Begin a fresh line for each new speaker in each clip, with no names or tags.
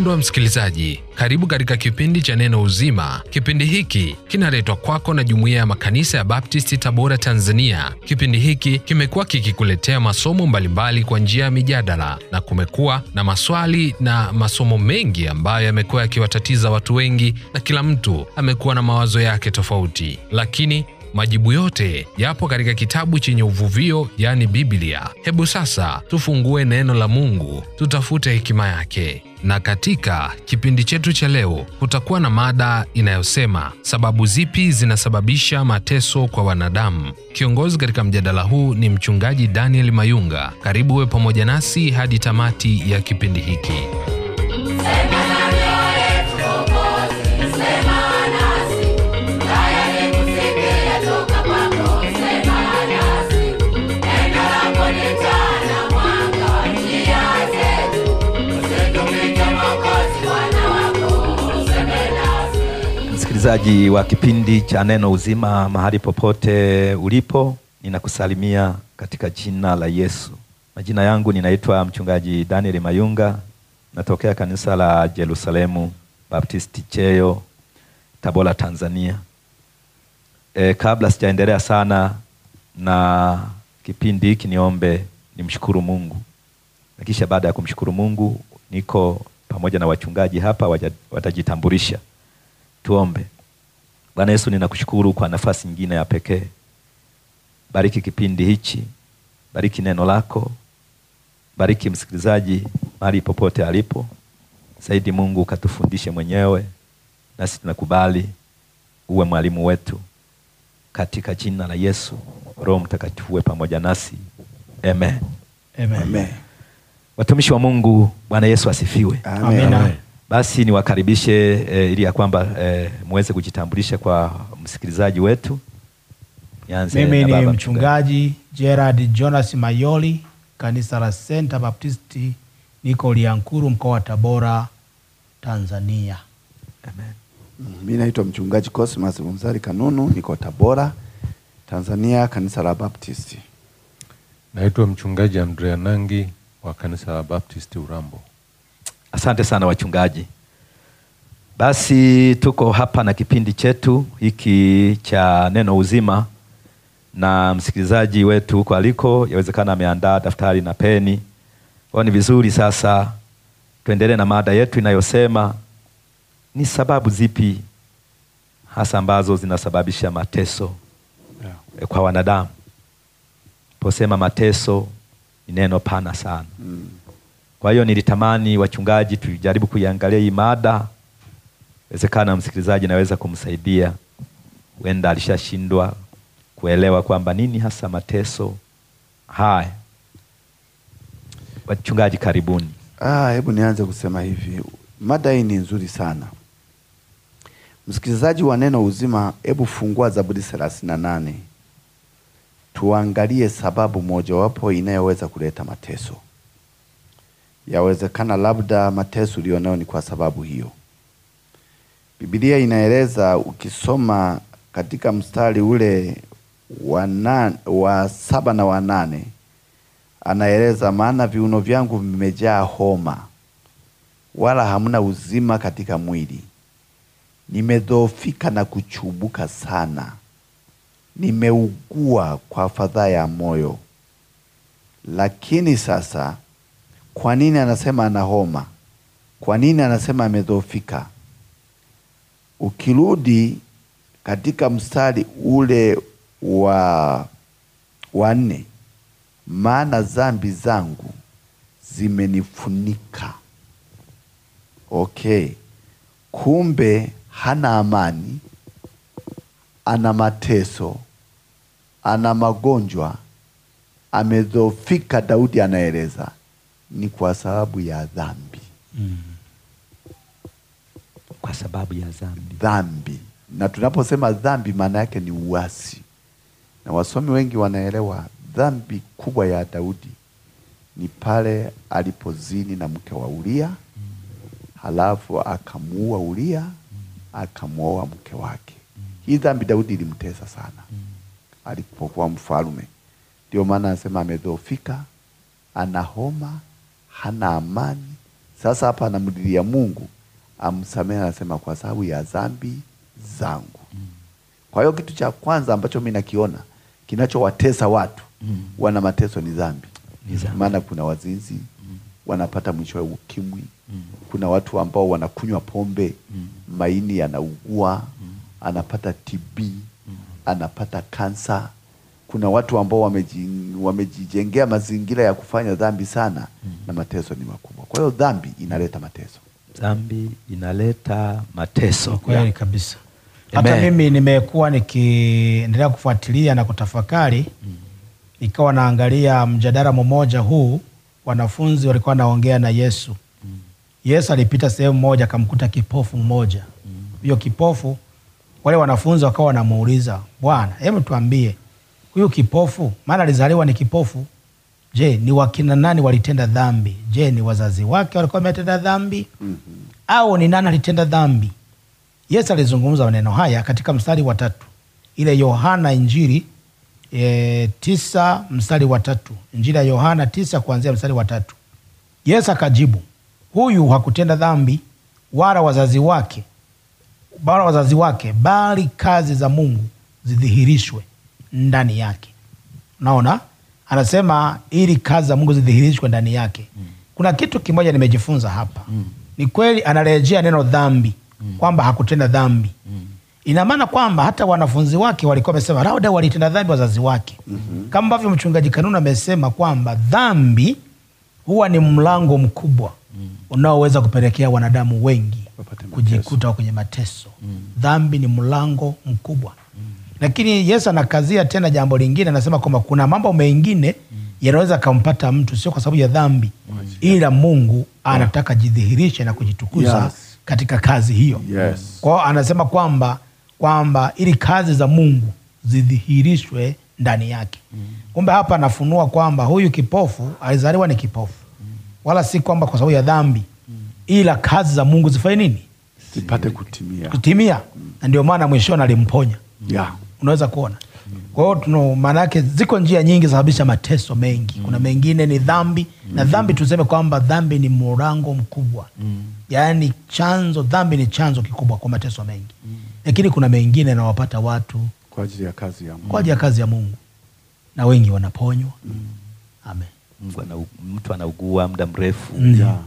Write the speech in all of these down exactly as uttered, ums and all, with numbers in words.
Mpendwa msikilizaji, karibu katika kipindi cha Neno Uzima. Kipindi hiki kinaletwa kwako na Jumuiya ya Makanisa ya Baptisti Tabora, Tanzania. Kipindi hiki kimekuwa kikikuletea masomo mbalimbali kwa njia ya mijadala, na kumekuwa na maswali na masomo mengi ambayo yamekuwa yakiwatatiza watu wengi, na kila mtu amekuwa na mawazo yake tofauti. Lakini majibu yote yapo katika kitabu chenye uvuvio, yani Biblia. Hebu sasa tufungue neno la Mungu, tutafute hekima yake. Na katika kipindi chetu cha leo kutakuwa na mada inayosema sababu zipi zinasababisha mateso kwa wanadamu. Kiongozi katika mjadala huu ni mchungaji Daniel Mayunga. Karibu uwe pamoja nasi hadi tamati ya kipindi hiki.
Msikilizaji wa kipindi cha Neno Uzima, mahali popote ulipo, ninakusalimia katika jina la Yesu. Majina yangu ninaitwa mchungaji Daniel Mayunga, natokea kanisa la Jerusalemu Baptisti Cheyo, Tabora, Tanzania. E, kabla sijaendelea sana na kipindi hiki, niombe nimshukuru Mungu. Na kisha baada ya kumshukuru Mungu, niko pamoja na wachungaji hapa watajitambulisha. Tuombe. Bwana Yesu, ninakushukuru kwa nafasi nyingine ya pekee. Bariki kipindi hichi, bariki neno lako, bariki msikilizaji mahali popote alipo. Saidi Mungu, katufundishe mwenyewe, nasi tunakubali uwe mwalimu wetu. Katika jina la Yesu, Roho Mtakatifu uwe pamoja nasi. Amen.
Amen. Amen.
Watumishi wa Mungu, Bwana Yesu asifiwe.
Amen. Amen.
Basi niwakaribishe e, ili ya kwamba e, muweze kujitambulisha kwa msikilizaji wetu.
Nianze. Mimi ni mchungaji Gerard Jonas Mayoli, kanisa la Center Baptisti, niko Liankuru, mkoa wa Tabora, Tanzania.
Amen.
Mimi naitwa mchungaji Cosmas Mzali Kanunu, niko Tabora, Tanzania, kanisa la Baptisti.
Naitwa mchungaji Andrea Nangi wa kanisa la Baptisti Urambo.
Asante sana wachungaji. Basi tuko hapa na kipindi chetu hiki cha Neno Uzima, na msikilizaji wetu huko aliko yawezekana ameandaa daftari na peni. Kwa ni vizuri sasa tuendelee na mada yetu inayosema ni sababu zipi hasa ambazo zinasababisha mateso, yeah, kwa wanadamu. Posema mateso ni neno pana sana. Mm. Kwa hiyo nilitamani wachungaji tujaribu kuiangalia hii mada. Inawezekana msikilizaji naweza kumsaidia. Huenda alishashindwa kuelewa kwamba nini hasa mateso haya. Wachungaji karibuni.
Ah, hebu nianze kusema hivi. Mada hii ni nzuri sana. Msikilizaji wa Neno Uzima, hebu fungua Zaburi thelathini na nane. Tuangalie sababu mojawapo inayoweza kuleta mateso. Yawezekana labda mateso ulionayo ni kwa sababu hiyo. Biblia inaeleza, ukisoma katika mstari ule wa nane, wa saba na wa nane, anaeleza maana viuno vyangu vimejaa homa, wala hamna uzima katika mwili. Nimedhoofika na kuchubuka sana, nimeugua kwa fadhaa ya moyo. Lakini sasa, kwa nini anasema ana homa? Kwa nini anasema amedhoofika? Ukirudi katika mstari ule wa wa nne, maana dhambi zangu zimenifunika. Okay. Kumbe hana amani, ana mateso, ana magonjwa, amedhoofika. Daudi anaeleza ni kwa sababu ya dhambi.
Mm. Kwa sababu ya dhambi.
Dhambi. Na tunaposema dhambi maana yake ni uasi. Na wasomi wengi wanaelewa dhambi kubwa ya Daudi ni pale alipozini na mke wa Uria, mm. halafu akamuua Uria, mm. akamuoa mke wake. Mm. Hii dhambi Daudi ilimtesa sana, mm. alipokuwa mfalme. Ndio maana anasema amedhoofika, ana homa, hana amani, Sasa hapa anamlilia Mungu amsamehe, anasema kwa sababu ya dhambi zangu. Mm. Kwa hiyo kitu cha kwanza ambacho mimi nakiona kinachowatesa watu mm. wana mateso ni dhambi. Maana kuna wazinzi mm. wanapata mwisho wa ukimwi mm. kuna watu ambao wanakunywa pombe mm. maini yanaugua mm. anapata T B mm. anapata kansa. Kuna watu ambao wamejijengea mazingira ya kufanya dhambi sana mm. na mateso ni makubwa. Kwa hiyo dhambi inaleta mateso.
Dhambi inaleta mateso.
Kweli kabisa. Hata mimi nimekuwa nikiendelea kufuatilia na kutafakari mm. nikawa naangalia mjadala mmoja huu, wanafunzi walikuwa naongea na Yesu. Mm. Yesu alipita sehemu moja akamkuta kipofu mmoja. Huyo mm. kipofu, wale wanafunzi wakawa wanamuuliza, Bwana, hebu tuambie, huyu kipofu, maana alizaliwa ni kipofu, je, ni wakina nani walitenda dhambi? Je, ni wazazi wake walikuwa wametenda dhambi? Mm -hmm. Au ni nani alitenda dhambi? Yesu alizungumza maneno haya katika mstari wa tatu. Ile Yohana Injili e, tisa mstari wa tatu. Injili ya Yohana tisa kuanzia mstari wa tatu. Yesu akajibu, huyu hakutenda dhambi wala wazazi wake, wala wazazi wake, bali kazi za Mungu zidhihirishwe ndani yake. Unaona? Anasema ili kazi za Mungu zidhihirishwe ndani yake. Mm. Kuna kitu kimoja nimejifunza hapa. Mm. Ni kweli anarejea neno dhambi, mm. kwamba hakutenda dhambi. Mm. Ina maana kwamba hata wanafunzi wake walikuwa wamesema labda walitenda dhambi wazazi wake. Mm -hmm. Kama ambavyo mchungaji Kanunu amesema kwamba dhambi huwa ni mlango mkubwa mm. unaoweza kupelekea wanadamu wengi kujikuta kwenye mateso. Mm. Dhambi ni mlango mkubwa. Mm. Lakini Yesu anakazia tena jambo lingine, anasema kwamba kuna mambo mengine mm. yanaweza kumpata mtu sio kwa sababu ya dhambi, mm. ila Mungu anataka jidhihirishe na kujitukuza, yes. katika kazi hiyo.
Yes.
Kwa hiyo anasema kwamba kwamba ili kazi za Mungu zidhihirishwe ndani yake. Mm. Kumbe hapa anafunua kwamba huyu kipofu alizaliwa ni kipofu. Mm. Wala si kwamba kwa sababu ya dhambi, mm. ila kazi za Mungu zifanye nini?
Zipate kutimia.
Kutimia. Mm. Na ndio maana mwishoni alimponya.
Yeah.
Unaweza kuona. Mm. Kwa hiyo tuna maana yake ziko njia nyingi zinasababisha mateso mengi. Mm. Kuna mengine ni dhambi, mm. na dhambi tuseme kwamba dhambi ni mlango mkubwa. Mm. Yaani chanzo, dhambi ni chanzo kikubwa kwa mateso mengi. Mm. Lakini kuna mengine yanawapata watu
kwa ajili ya kazi ya Mungu.
Kwa ajili ya kazi ya Mungu. Na wengi wanaponywa. Mm. Amen.
Mungu ana, mtu anaugua muda mrefu.
Mm.
Yeah.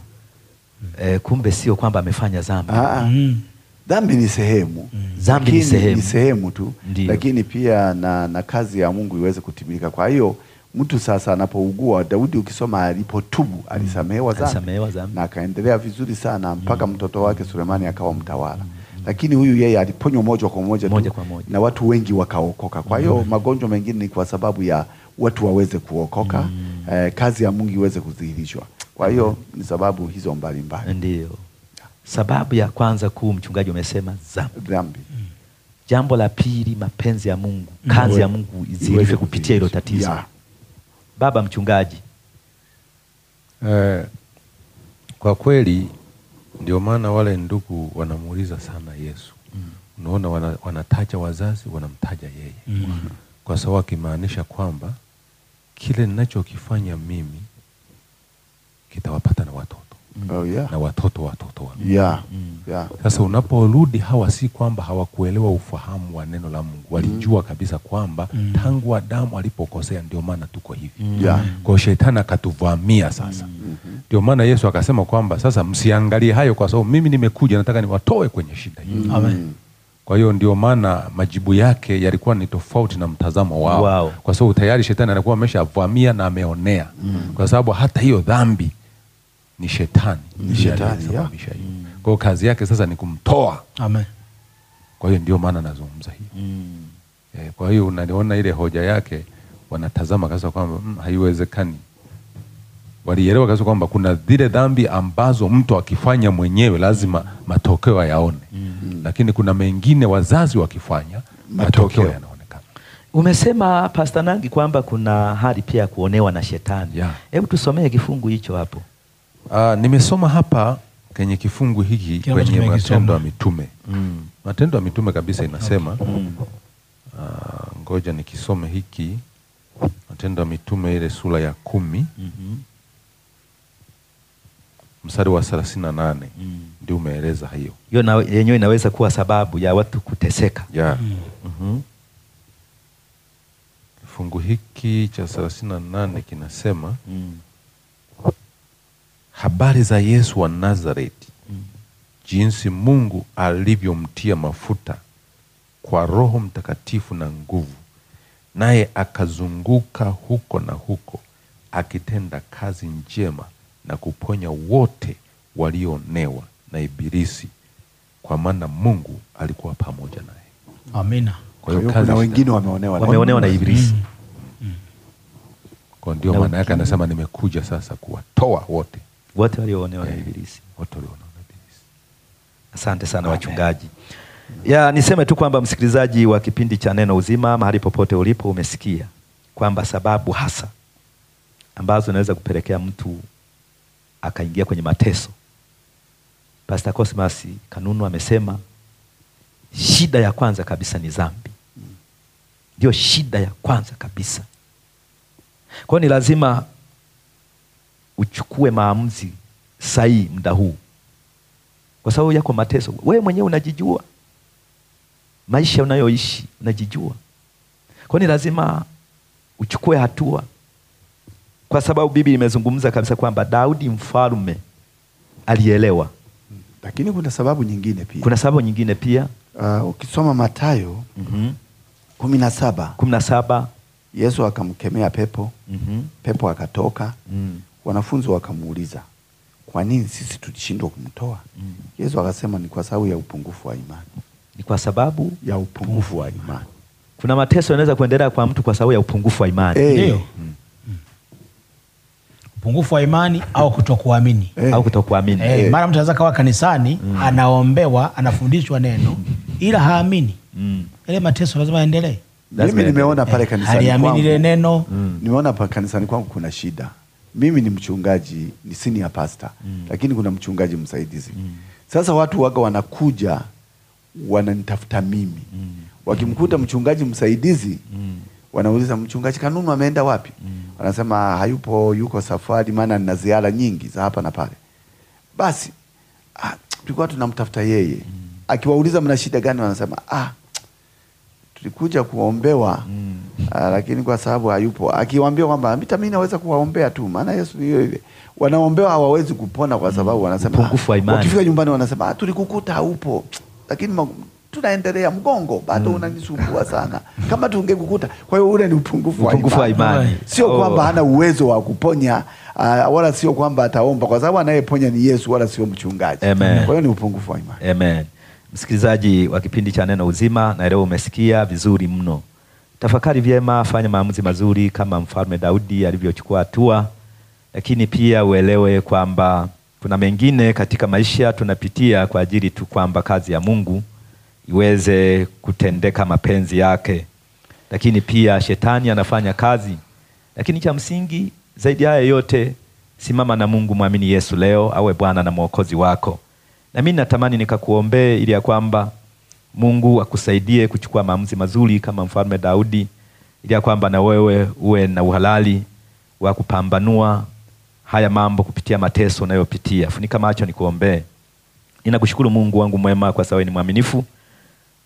E, kumbe sio kwamba amefanya dhambi.
Ah. Mm. Dhambi ni sehemu.
Mm. Dhambi ni sehemu.
Ni sehemu tu.
Ndiyo.
Lakini pia na, na kazi ya Mungu iweze kutimilika. Kwa hiyo mtu sasa anapougua, Daudi ukisoma alipotubu alisamehewa dhambi.
Alisamehewa dhambi.
Na akaendelea vizuri sana mpaka
mm.
mtoto wake Sulemani akawa mtawala.
Mm.
Lakini huyu yeye aliponywa moja kwa moja,
moja kwa moja,
na watu wengi wakaokoka. Kwa hiyo
mm.
magonjwa mengine ni kwa sababu ya watu waweze kuokoka,
mm.
eh, kazi ya Mungu iweze kudhihirishwa. Kwa hiyo ni sababu hizo mbalimbali.
Ndiyo. Sababu ya kwanza kuu mchungaji umesema dhambi.
Dhambi.
Mm. Jambo la pili, mapenzi ya Mungu, kazi mm. ya Mungu izihirishwe kupitia hilo tatizo.
Yeah.
Baba mchungaji.
Eh, kwa kweli ndio maana wale ndugu wanamuuliza sana Yesu. Mm. Unaona wana, wanataja wazazi, wanamtaja yeye.
Mm.
Kwa sababu akimaanisha kwamba kile ninachokifanya mimi kitawapata na watoto.
Mm. Oh, yeah.
Na watoto watoto wangu.
Yeah.
Mm.
Yeah.
Sasa unaporudi hawa si kwamba hawakuelewa ufahamu wa neno la Mungu. Walijua
mm.
kabisa kwamba
mm.
tangu Adamu alipokosea ndio maana tuko hivi.
Mm.
Yeah.
Kwa shetani akatuvamia sasa.
Mm -hmm.
Ndio maana Yesu akasema kwamba sasa msiangalie hayo kwa sababu mimi nimekuja nataka niwatoe kwenye shida hii.
Mm.
Amen.
Kwa hiyo ndio maana majibu yake yalikuwa ni tofauti na mtazamo wao.
Wow.
Kwa sababu tayari shetani alikuwa ameshavamia na ameonea.
Mm.
Kwa sababu hata hiyo dhambi ni shetani.
Ni shetani,
aliyesababisha
yeah.
hiyo. Kwa hiyo kazi yake sasa ni kumtoa.
Amen.
Kwa hiyo ndio maana nazungumza hiyo.
Mm.
E, kwa hiyo unaliona ile hoja yake wanatazama kabisa kwamba mm, haiwezekani. Walielewa kabisa kwamba kuna zile dhambi ambazo mtu akifanya mwenyewe lazima matokeo yaone.
Mm.
Lakini kuna mengine wazazi wakifanya matokeo, matokeo yanaonekana.
Umesema Pastor Nangi kwamba kuna hali pia ya kuonewa na shetani.
Yeah.
Hebu tusomee kifungu hicho hapo.
Uh, nimesoma hapa kwenye kifungu hiki
Kila
kwenye
mtu
Matendo ya Mitume.
Mm.
Matendo ya Mitume kabisa inasema.
Okay. Mm.
Uh, ngoja nikisome hiki Matendo ya Mitume ile sura ya kumi.
Mm -hmm.
mstari wa thelathini na nane mm. ndio umeeleza hiyo.
Hiyo na yenyewe inaweza kuwa sababu ya watu kuteseka.
Yeah.
Mm.
Mm-hmm.
Kifungu hiki cha thelathini na nane kinasema
mm.
habari za Yesu wa Nazareti,
mm.
jinsi Mungu alivyomtia mafuta kwa Roho Mtakatifu na nguvu, naye akazunguka huko na huko akitenda kazi njema na kuponya wote walioonewa na Ibilisi, kwa maana Mungu alikuwa pamoja naye.
Amina.
Kwa hiyo
Kwa hiyo
kazi
kuna wengine wameonewa na
Wameonewa na Ibilisi.
Mm. Mm.
Kwa ndio
Na
maana yake
wengine
anasema nimekuja sasa kuwatoa wote.
Wote walioonewa na
Eh,
Ibilisi.
Wote walioonewa na Ibilisi.
Asante sana
Amen.
wachungaji. Ya, niseme tu kwamba msikilizaji wa kipindi cha Neno Uzima, mahali popote ulipo, umesikia kwamba sababu hasa ambazo inaweza kupelekea mtu akaingia kwenye mateso. Pastor Cosmas Kanunu amesema shida ya kwanza kabisa ni dhambi. Ndio shida ya kwanza kabisa. Kwa hiyo ni lazima uchukue maamuzi sahihi muda huu. Kwa sababu yako mateso, wewe mwenyewe unajijua. Maisha unayoishi unajijua. Kwa hiyo ni lazima uchukue hatua. Kwa sababu Biblia imezungumza kabisa kwamba Daudi mfalme alielewa.
Lakini kuna sababu nyingine pia.
Kuna sababu nyingine pia.
Uh, ukisoma Mathayo
mm-hmm.
kumi na saba.
kumi na saba.
Yesu akamkemea pepo.
Mm-hmm.
Pepo akatoka.
Mm.
Wanafunzi wakamuuliza, kwa nini sisi tulishindwa kumtoa?
Mm.
Yesu akasema ni kwa sababu ya upungufu wa imani.
Ni kwa sababu
ya upungufu wa imani.
Kuna mateso yanaweza kuendelea kwa mtu kwa sababu ya upungufu wa imani.
Eh.
Ndio.
Mm.
Upungufu wa imani au kutokuamini.
Eh.
Au kutokuamini.
Eh,
Eh.
mara mtu anaweza kawa kanisani,
Mm.
anaombewa, anafundishwa neno ila haamini.
Mm.
Ile mateso lazima yaendelee.
Lazima
Mimi nimeona
Eh,
pale kanisani
haliamini
kwangu.
ile neno.
Mm.
Nimeona pale kanisani kwangu kuna shida. Mimi ni mchungaji, ni senior pastor,
Mm.
lakini kuna mchungaji msaidizi.
Mm.
Sasa watu waga wanakuja wananitafuta mimi.
Mm.
Wakimkuta mchungaji msaidizi,
Mm.
wanauliza mchungaji Kanunu ameenda wapi?
Mm.
Wanasema hayupo, yuko safari, maana nina ziara nyingi za hapa na pale. Basi, ah, tulikuwa tunamtafuta yeye.
Mm.
Akiwauliza mna shida gani, wanasema ah, tulikuja kuombewa.
Mm.
Ah, lakini kwa sababu hayupo. Akiwaambia kwamba hata mimi naweza kuwaombea tu, maana Yesu ni yeye yule. Wanaombewa hawawezi kupona kwa sababu wanasema,
upungufu wa imani.
Wakifika nyumbani wanasema, ah, tulikukuta haupo. Lakini ma-, tunaendelea, mgongo bado
Mm.
unanisumbua sana. Kama tungekukuta. Kwa hiyo ule ni upungufu wa
Upungufu wa
imani.
imani.
Sio
Oh.
kwamba hana uwezo wa kuponya, ah, wala sio kwamba ataomba, kwa sababu anayeponya ni Yesu wala sio mchungaji.
Amen.
Kwa hiyo ni upungufu wa imani.
Amen. Msikilizaji wa kipindi cha Neno Uzima, na leo umesikia vizuri mno. Tafakari vyema, fanya maamuzi mazuri kama Mfalme Daudi alivyochukua hatua, lakini pia uelewe kwamba kuna mengine katika maisha tunapitia kwa ajili tu kwamba kazi ya Mungu iweze kutendeka mapenzi yake. Lakini pia shetani anafanya kazi. Lakini cha msingi zaidi haya yote, simama na Mungu, mwamini Yesu leo awe Bwana na Mwokozi wako. Na mimi natamani nikakuombee ili ya kwamba Mungu akusaidie kuchukua maamuzi mazuri kama Mfalme Daudi, ili ya kwamba na wewe uwe na uhalali wa kupambanua haya mambo kupitia mateso unayopitia. Funika macho nikuombee. Ninakushukuru Mungu wangu mwema kwa sababu ni mwaminifu.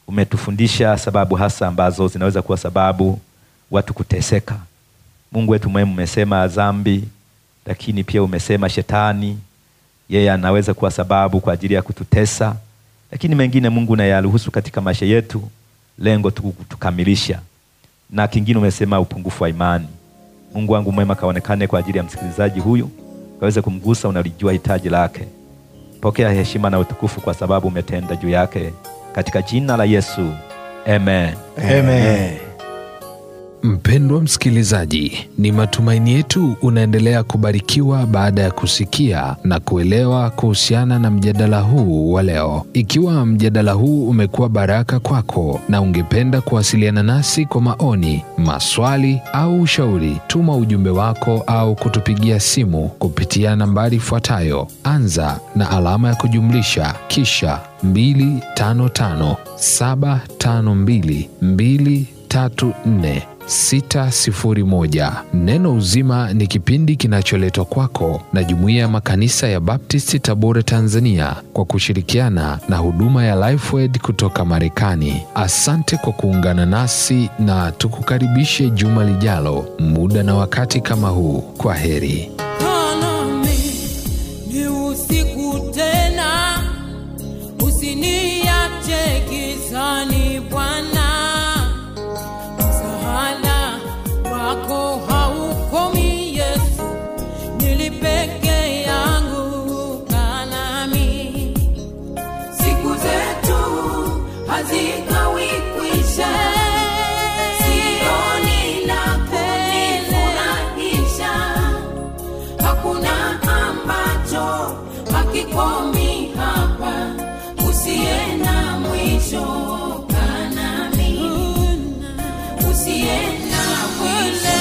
Umetufundisha sababu hasa ambazo zinaweza kuwa sababu watu kuteseka. Mungu wetu mwema, umesema dhambi, lakini pia umesema shetani yeye anaweza kuwa sababu kwa ajili ya kututesa. Lakini mengine Mungu unayaruhusu katika maisha yetu, lengo tu kutukamilisha. Na kingine umesema upungufu wa imani. Mungu wangu mwema, kaonekane kwa ajili ya msikilizaji huyu, kaweze kumgusa, unalijua hitaji lake. Pokea heshima na utukufu kwa sababu umetenda juu yake, katika jina la Yesu. Amen.
Amen.
Mpendwa msikilizaji, ni matumaini yetu unaendelea kubarikiwa baada ya kusikia na kuelewa kuhusiana na mjadala huu wa leo. Ikiwa mjadala huu umekuwa baraka kwako na ungependa kuwasiliana nasi kwa maoni, maswali au ushauri, tuma ujumbe wako au kutupigia simu kupitia nambari ifuatayo: anza na alama ya kujumlisha kisha mbili tano tano saba tano mbili mbili tatu nne sita sifuri moja. Neno Uzima ni kipindi kinacholetwa kwako na Jumuiya ya Makanisa ya Baptisti Tabora, Tanzania, kwa kushirikiana na huduma ya Lifeword kutoka Marekani. Asante kwa kuungana nasi na tukukaribishe juma lijalo, muda na wakati kama huu. Kwa heri.
Ni usiku tena, usiniache gizani Bwana. Msaada wako haukomi Yesu, nili peke yangu, kaa nami.
Siku zetu hazikawi kwisha, sioni la kunifurahisha. Hakuna ambacho hakikomi hapa, usiye na mwisho, kaa nami. Usiye na mwisho.